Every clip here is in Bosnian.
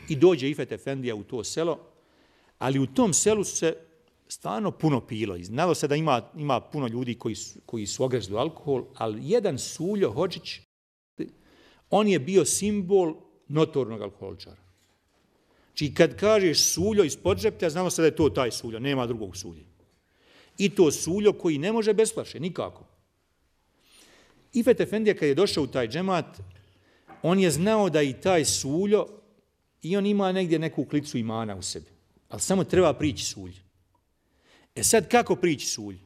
i dođe Ifet Efendija u to selo, ali u tom selu se stvarno puno pilo. I znalo se da ima puno ljudi koji su ogrezli alkohol, ali jedan Suljo Hodžić, on je bio simbol notornog alkoholičara. Znači kad kažeš Suljo iz Podžeplja, znalo se da je to taj Suljo, nema drugog Sulja. I to Suljo koji ne može bez flaše, nikako. Ifet Efendija kad je došao u taj džemat, on je znao da i taj Suljo, i on ima negdje neku klicu imana u sebi, ali samo treba prići Sulj. E sad kako prići Sulj?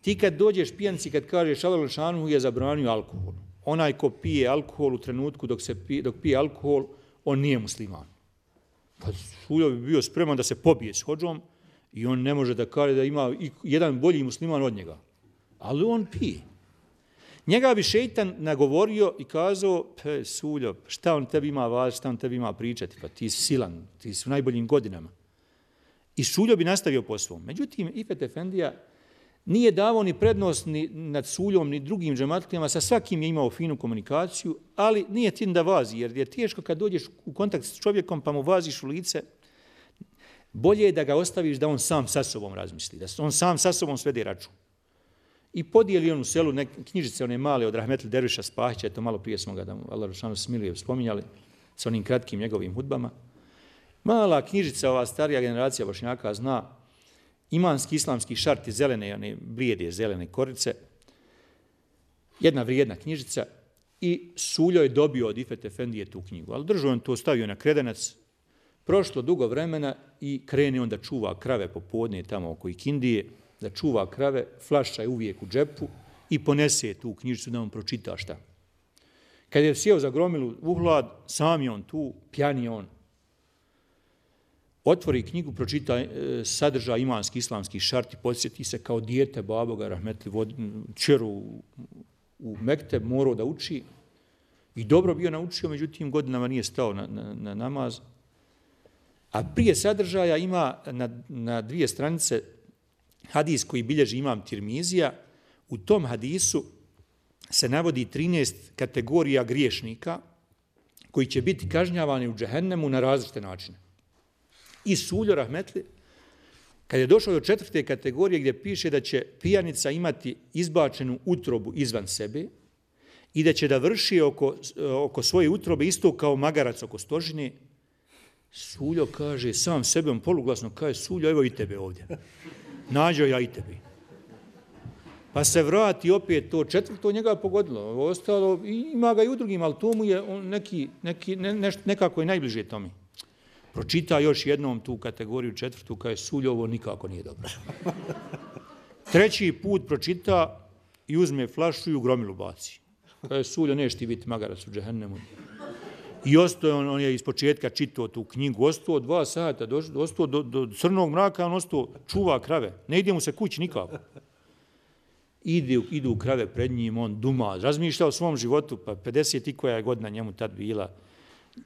Ti kad dođeš pijanci, kad kažeš Allah Đelešanu je zabranio alkohol, onaj ko pije alkohol u trenutku dok pije alkohol, on nije musliman. Pa Suljo bi bio spreman da se pobije s hodžom i on ne može da kaže da ima jedan bolji musliman od njega. Ali on pije. Njega bi šeitan nagovorio i kazao, Suljo, šta on tebi ima važiti, šta on tebi ima pričati, pa ti si silan, ti si u najboljim godinama. I Suljo bi nastavio po svom. Međutim, Ifet Efendija nije davao ni prednost ni nad Suljom, ni drugim džematlijama, sa svakim je imao finu komunikaciju, ali nije tin da vazi, jer je teško kad dođeš u kontakt s čovjekom pa mu vaziš u lice, bolje je da ga ostaviš da on sam sa sobom razmisli, da on sam sa sobom svede račun. I podijeli on u selu knjižice, one male od Rahmetli Derviša Spahića, to malo prije smo ga, da mu Allah Đelešanu smiluje, spominjali, sa onim kratkim njegovim hudbama. Mala knjižica, ova starija generacija Bošnjaka zna, imanski islamski šarti zelene, one blijede zelene korice, jedna vrijedna knjižica i Suljo je dobio od Ifet Efendije tu knjigu, ali držao on to, stavio na kredenac, prošlo dugo vremena i krene on da čuva krave popodne tamo oko Ikindije, da čuva krave, flaša je uvijek u džepu i ponese tu knjižicu da on pročita šta. Kad je sjeo za gromilu u hlad, sam je on tu, pjan je on. Otvori knjigu, pročita sadržaj imanski islamski šarti, podsjeti se kao dijete baboga Rahmetli čeru u Mekteb, morao da uči i dobro bio naučio, međutim godinama nije stao na namaz. A prije sadržaja ima na 2 stranice hadis koji bilježi imam Tirmizija. U tom hadisu se navodi 13 kategorija griješnika koji će biti kažnjavani u džehennemu na različite načine. I Suljo Rahmetli, kad je došao do 4. kategorije gdje piše da će pijanica imati izbačenu utrobu izvan sebe i da će da vrši oko svoje utrobe isto kao magarac oko stožine, Suljo kaže, sam sebom poluglasno kaže, Suljo, evo i tebe ovdje. Nađo ja i tebi. Pa se vrati opet to 4. njega pogodilo. Ostalo, ima ga i u drugim, ali to mu je nekako je najbliže tome. Pročita još jednom tu kategoriju 4. kaže Suljo, ovo nikako nije dobro. 3. put pročita i uzme flašu i u gromilu baci. Kaže Suljo, neš ti biti magarac u džehennemu. I ostao on je iz početka čitao tu knjigu, ostao 2 sata, ostao do crnog mraka, on ostao čuva krave. Ne ide mu se kući nikako. Idu krave pred njim, on duma, razmišlja o svom životu, pa 50 i koja je godina njemu tad bila.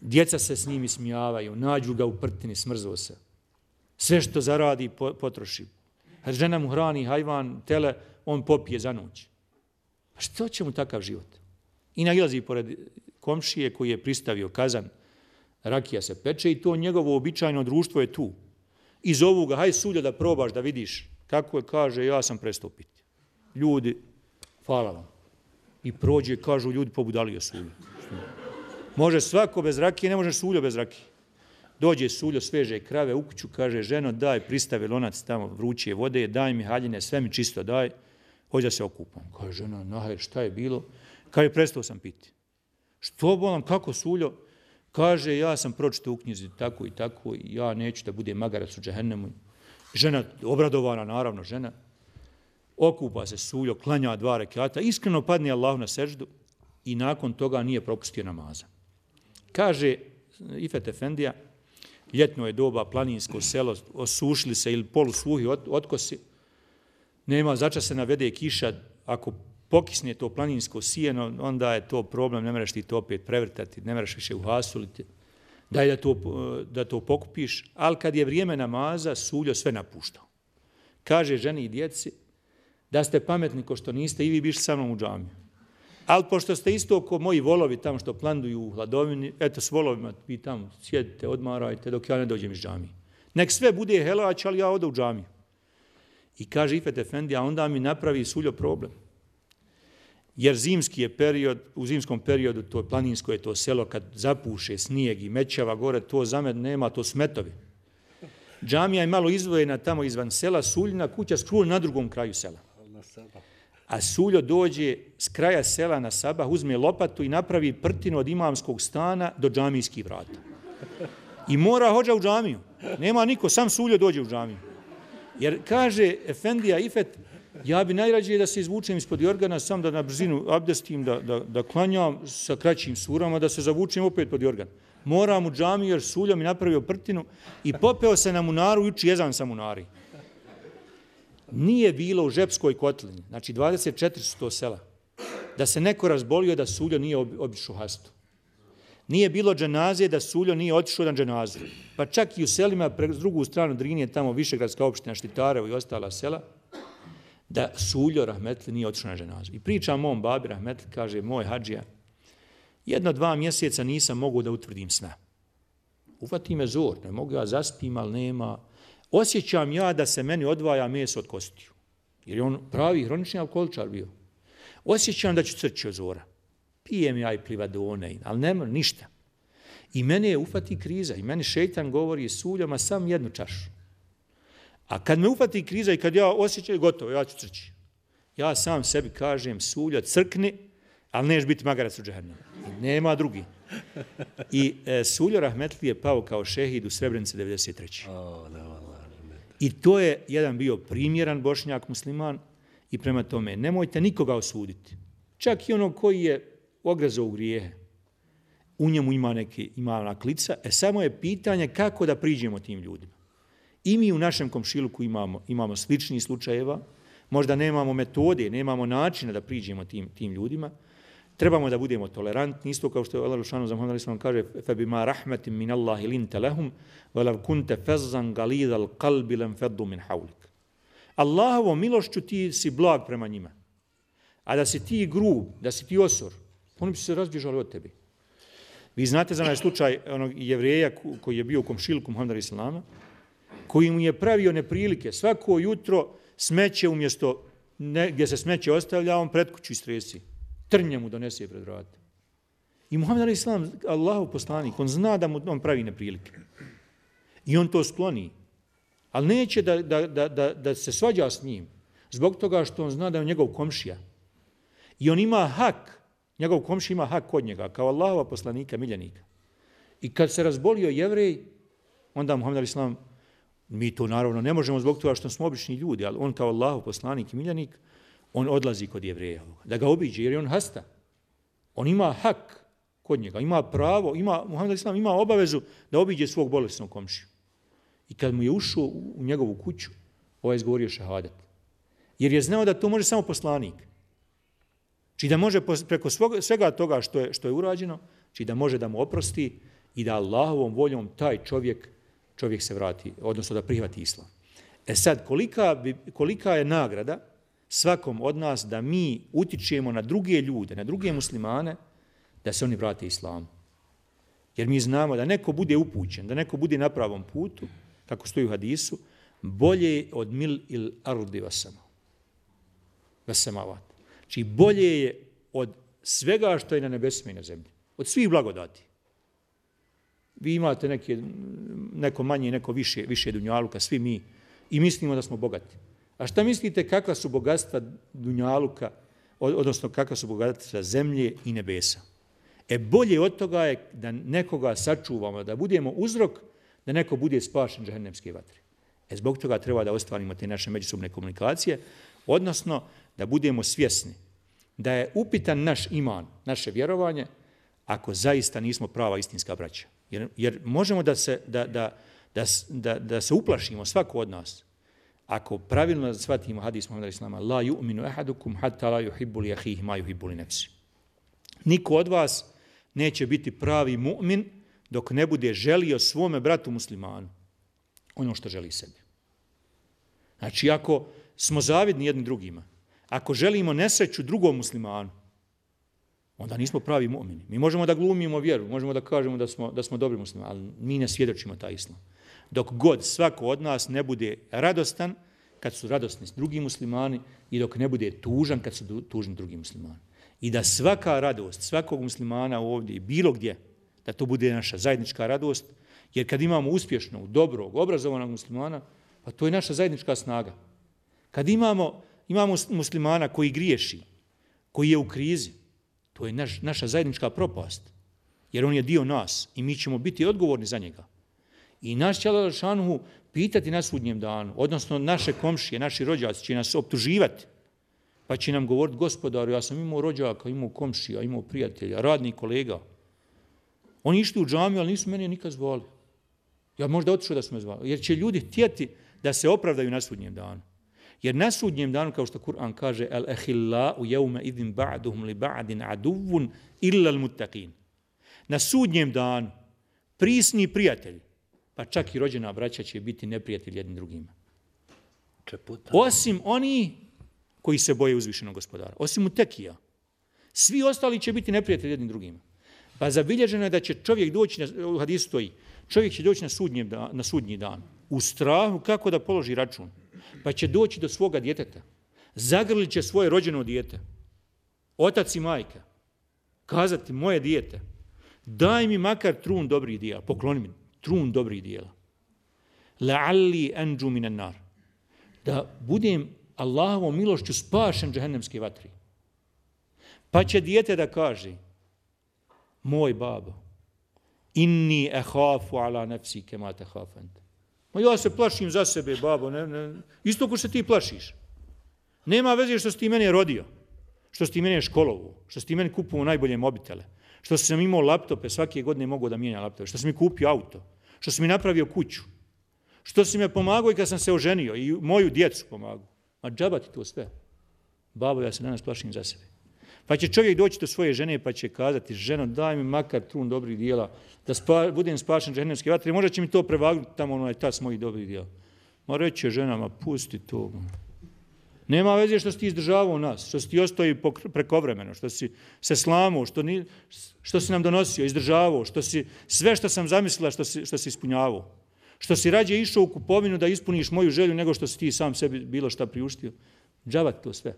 Djeca se s njim ismijavaju, nađu ga u prtini, smrzao se. Sve što zaradi, potroši. Žena mu hrani hajvan, tele, on popije za noć. A što će mu takav život? I nailazi pored komšije koji je pristavio kazan, rakija se peče i to njegovo običajno društvo je tu. I zovu ga, haj Suljo da probaš, da vidiš. Kako je, kaže, ja sam prestao piti. Ljudi, hvala vam. I prođe, kažu ljudi, pobudalio Suljo. Može svako bez rakije, ne može Suljo bez rakije. Dođe Suljo, sveže krave u kuću, kaže, ženo, daj, pristavi lonac tamo vruće vode, daj mi haljine, sve mi čisto daj, hođe da se okupam. Kaže, žena, nahaj, šta je bilo? Kaže, prestao sam piti. Što bolam, kako Suljo? Kaže, ja sam pročitao u knjizi tako i tako, ja neću da budem magarac u džehennemu. Žena, obradovana, naravno, žena, okupa se Suljo, klanja 2 rekata, iskreno padne Allahu na seždu i nakon toga nije propustio namaza. Kaže Ifet Efendija, ljetno je doba, planinsko selo, osušili se ili polusuhi otkosi, nema začas se navede kiša, ako pokisne to planinsko sijeno, onda je to problem, ne mreš ti to opet prevrtati, ne mreš više uhasuliti, daj da to pokupiš, ali kad je vrijeme namaza, Suljo sve napuštao. Kaže ženi i djeci, da ste pametni ko što niste i vi bišli sa mnom u džamiju. Ali pošto ste isto ko moji volovi tamo što planduju u hladovini, eto s volovima vi tamo sjedite, odmarajte dok ja ne dođem iz džamije. Nek sve bude helać, ali ja odu u džamiju. I kaže Ifet Efendi, a onda mi napravi Suljo problem. Jer zimski je period, u zimskom periodu, to planinsko je to selo, kad zapuše snijeg i mećava gore, to za mene nema, to smetovi. Džamija je malo izdvojena tamo izvan sela, Suljina kuća skroz na drugom kraju sela. A Suljo dođe s kraja sela na sabah, uzme lopatu i napravi prtinu od imamskog stana do džamijskih vrata. I mora hodža u džamiju. Nema niko, sam Suljo dođe u džamiju. Jer kaže Efendija Ifet, ja bi najrađe da se izvučem ispod jorgana, sam da na brzinu abdestim, da klanjam sa kraćim surama, da se zavučem opet pod jorgan. Moram u džamiju jer Suljo mi napravio prtinu i popeo se na munaru i uči jezan sa munari. Nije bilo u Žepskoj kotlini, znači 24 su to sela, da se neko razbolio da Suljo nije obišao hastu. Nije bilo dženaze da Suljo nije otišao na dženazu. Pa čak i u selima, s drugu stranu Drinije, tamo Višegradska opština, Štitarevo i ostala sela, da Suljo rahmetli nije otišao na dženazu. I priča mom babi rahmetli, kaže, moj hadžija, 1-2 mjeseca nisam mogu da utvrdim sna. Uvati me zor, ne mogu ja zaspim, ali nema. Osjećam ja da se meni odvaja meso od kostiju. Jer je on pravi hronični alkoholičar bio. Osjećam da ću crći od zora. Pijem ja i plivadone, ali nema ništa. I mene je ufati kriza. I meni šeitan govori Suljo, ma sam jednu čašu. A kad me ufati kriza i kad ja osjećam, gotovo, ja ću crći. Ja sam sebi kažem, Suljo, crkni, ali neš biti magarac u džehennemu. Nema drugi. I Suljo rahmetli je pao kao šehid u Srebrenici 93. I to je jedan bio primjeran Bošnjak musliman i prema tome nemojte nikoga osuditi. Čak i onog koji je ogrezao u grijehe. U njemu ima ona klica, samo je pitanje kako da priđemo tim ljudima. I mi u našem komšiluku imamo sličnih slučajeva, možda nemamo metode, nemamo načina da priđemo tim ljudima. Trebamo da budemo tolerantni, isto kao što je Allah Lušanu za Muhammed a.s. kaže فَبِمَا رَحْمَةٍ مِنَ اللَّهِ لِنْتَ لَهُمْ وَلَوْ كُنْتَ فَزًّا غَلِيظَ الْقَلْبِ لَمْ فَضُّوا مِنْ حَوْلِكَ. Allahovom milošću ti si blag prema njima. A da si ti grub, da si ti osor, oni bi se razbježali od tebe. Vi znate za onaj slučaj onog Jevreja koji je bio u komšilku Muhammeda islama, koji mu je pravio neprilike. Svako jutro smeće umjesto gdje se smeće ostavlja, on pred kuću istresi. Trnje mu donese pred vrata. I Muhammed islam, Allahov poslanik, on zna da mu on pravi neprilike. I on to skloni. Ali neće da se svađa s njim. Zbog toga što on zna da je njegov komšija. I on ima hak, njegov komšija ima hak kod njega, kao Allahova poslanika, miljenika. I kad se razbolio Jevrej, onda Muhammed islam, mi to naravno ne možemo zbog toga što smo obični ljudi, ali on kao Allahov poslanik i miljenik, on odlazi kod Jevreja, da ga obiđe, jer je on hasta. On ima hak kod njega, ima pravo, Muhammed islam ima obavezu da obiđe svog bolesnog komšiju. I kad mu je ušao u njegovu kuću, ovaj izgovorio šehadat. Jer je znao da to može samo poslanik. Či da može preko svega toga što je urađeno, či da može da mu oprosti i da Allahovom voljom taj čovjek se vrati, odnosno da prihvati islam. Sad, kolika je nagrada svakom od nas da mi utičemo na druge ljude, na druge muslimane, da se oni vrate islamu. Jer mi znamo da neko bude upućen, da neko bude na pravom putu, kako stoji u hadisu, bolje od mil il ardi vasamavat. Znači bolje je od svega što je na nebesima i na zemlji. Od svih blagodati. Vi imate neko manje, neko više dunjaluka, svi mi, i mislimo da smo bogati. A šta mislite kakva su bogatstva dunjaluka, odnosno kakva su bogatstva zemlje i nebesa? Bolje od toga je da nekoga sačuvamo, da budemo uzrok, da neko bude spašen džehennemske vatre. Zbog toga treba da ostvarimo te naše međusobne komunikacije, odnosno da budemo svjesni da je upitan naš iman, naše vjerovanje, ako zaista nismo prava istinska braća. Jer možemo da se uplašimo, svako od nas, ako pravilno shvatimo hadis Muhammeda islama, la yu'minu ahadukum hatta la yuhibbu li akhihi ma yuhibbu li nafsi. Niko od vas neće biti pravi mu'min dok ne bude želio svome bratu muslimanu ono što želi sebi. Znači, ako smo zavidni jedni drugima, ako želimo nesreću drugom muslimanu, onda nismo pravi mu'mini. Mi možemo da glumimo vjeru, možemo da kažemo da smo dobri muslimani, ali mi ne svjedočimo taj islam. Dok god svako od nas ne bude radostan kad su radosni drugi muslimani i dok ne bude tužan kad su tužni drugi muslimani. I da svaka radost svakog muslimana ovdje i bilo gdje, da to bude naša zajednička radost, jer kad imamo uspješnog, dobrog, obrazovanog muslimana, pa to je naša zajednička snaga. Kad imamo muslimana koji griješi, koji je u krizi, to je naša zajednička propast, jer on je dio nas i mi ćemo biti odgovorni za njega. I naš će Allah šanuhu pitati na sudnjem danu, odnosno naše komšije, naši rođaci će nas optuživati, pa će nam govoriti, gospodaru, ja sam imao rođaka, imao komšija, imao prijatelja, radnih kolega. Oni išli u džamiju, ali nisu mene nikad zvali. Ja možda otišao da su me zvali, jer će ljudi htjeti da se opravdaju na sudnjem danu. Jer na sudnjem danu, kao što Kur'an kaže, al-ahillau yawma idhin ba'duhum li ba'din aduvun illa al-muttaqin. Na sudnjem danu prisni prijatelji, pa čak i rođena braća će biti neprijatelji jednim drugima. Osim oni koji se boje uzvišenog gospodara, osim mutekija. Svi ostali će biti neprijatelji jednim drugima. Pa zabilježeno je da će čovjek doći, u hadisu stoji, čovjek će doći na sudnji dan u strahu kako da položi račun. Pa će doći do svoga djeteta. Zagrlit će svoje rođeno dijete. Otac i majka. Kazati, moje dijete, daj mi makar trun dobrih dijela. Pokloni mi trun dobrih dijela. La'alli anđu minan nar. Da budem Allahovom milošću spašen džehennemske vatri. Pa će dijete da kaže, moj babo, inni ehafu ala nefsi kema tehafend. Ja se plašim za sebe, babo, isto ko se ti plašiš. Nema veze što si ti mene rodio, što si ti mene školovu, što si ti mene kupovao najbolje mobitele, što sam imao laptope, svake godine mogu da mijenja laptope, što sam mi kupio auto, što sam mi napravio kuću, što si me pomagao i kad sam se oženio i moju djecu pomagao. Ma džaba ti to sve. Babo, ja se danas plašim za sebe. Pa će čovjek doći do svoje žene pa će kazati, ženo, daj mi makar trun dobrih dijela, da budem spašen džehennemske vatre, možda će mi to prevagnuti tamo onaj tas mojih dobrih dijela. Ma reće ženama, pusti to. Nema veze što si ti izdržavao nas, što si ti ostao prekovremeno, što si se slamao, što si nam donosio, izdržavao, što si sve što sam zamislila što si ispunjavao. Što si rađe išao u kupovinu da ispuniš moju želju nego što si ti sam sebi bilo šta priuštio. Džavat to sve.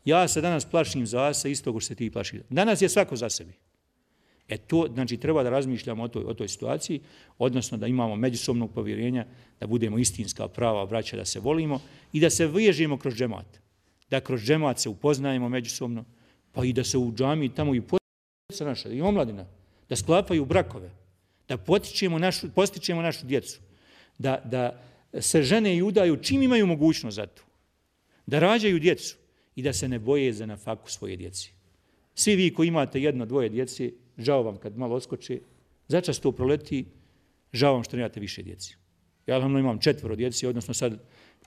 Ja se danas plašim za se isto ko što se ti plaši. Danas je svako za sebi. To, znači, treba da razmišljamo o toj situaciji, odnosno da imamo međusobnog povjerenja, da budemo istinska prava braća, da se volimo i da se vežemo kroz džemat. Da kroz džemat se upoznajemo međusobno, pa i da se u džamiji tamo i postiče naša, i omladina, da sklapaju brakove, da postičemo našu djecu, da se žene i udaju čim imaju mogućnost za to, da rađaju djecu i da se ne boje za nafaku svoje djeci. Svi vi koji imate jedno, dvoje djece, žao vam kad malo odskoče, začas to proleti, žao vam što nemate više djeci. Ja imam 4 djeci, odnosno sad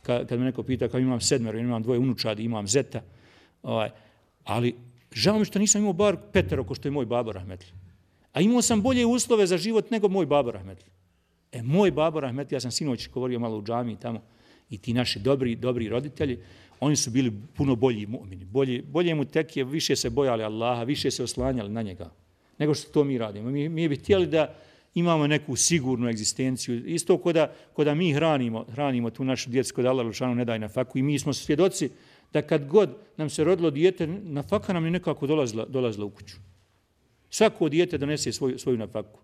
kad me neko pita kao imam 7, imam 2 unučadi, imam zeta, ali žao mi što nisam imao bar 5 ko što je moj babo rahmetli. A imao sam bolje uslove za život nego moj babo rahmetli. Moj babo rahmetli, ja sam sinoć govorio malo u džamiji tamo, i ti naši dobri roditelji, oni su bili puno bolji mu'mini. Bolje mu tekije, više se bojali Allaha, više se oslanjali na njega, nego što to mi radimo. Mi bi htjeli da imamo neku sigurnu egzistenciju. Isto ko da mi hranimo tu našu djecu, kod Allah Lušanu ne daje na faku. I mi smo svjedoci da kad god nam se rodilo dijete, na faka nam je nekako dolazila u kuću. Svako dijete donese svoju nafaku.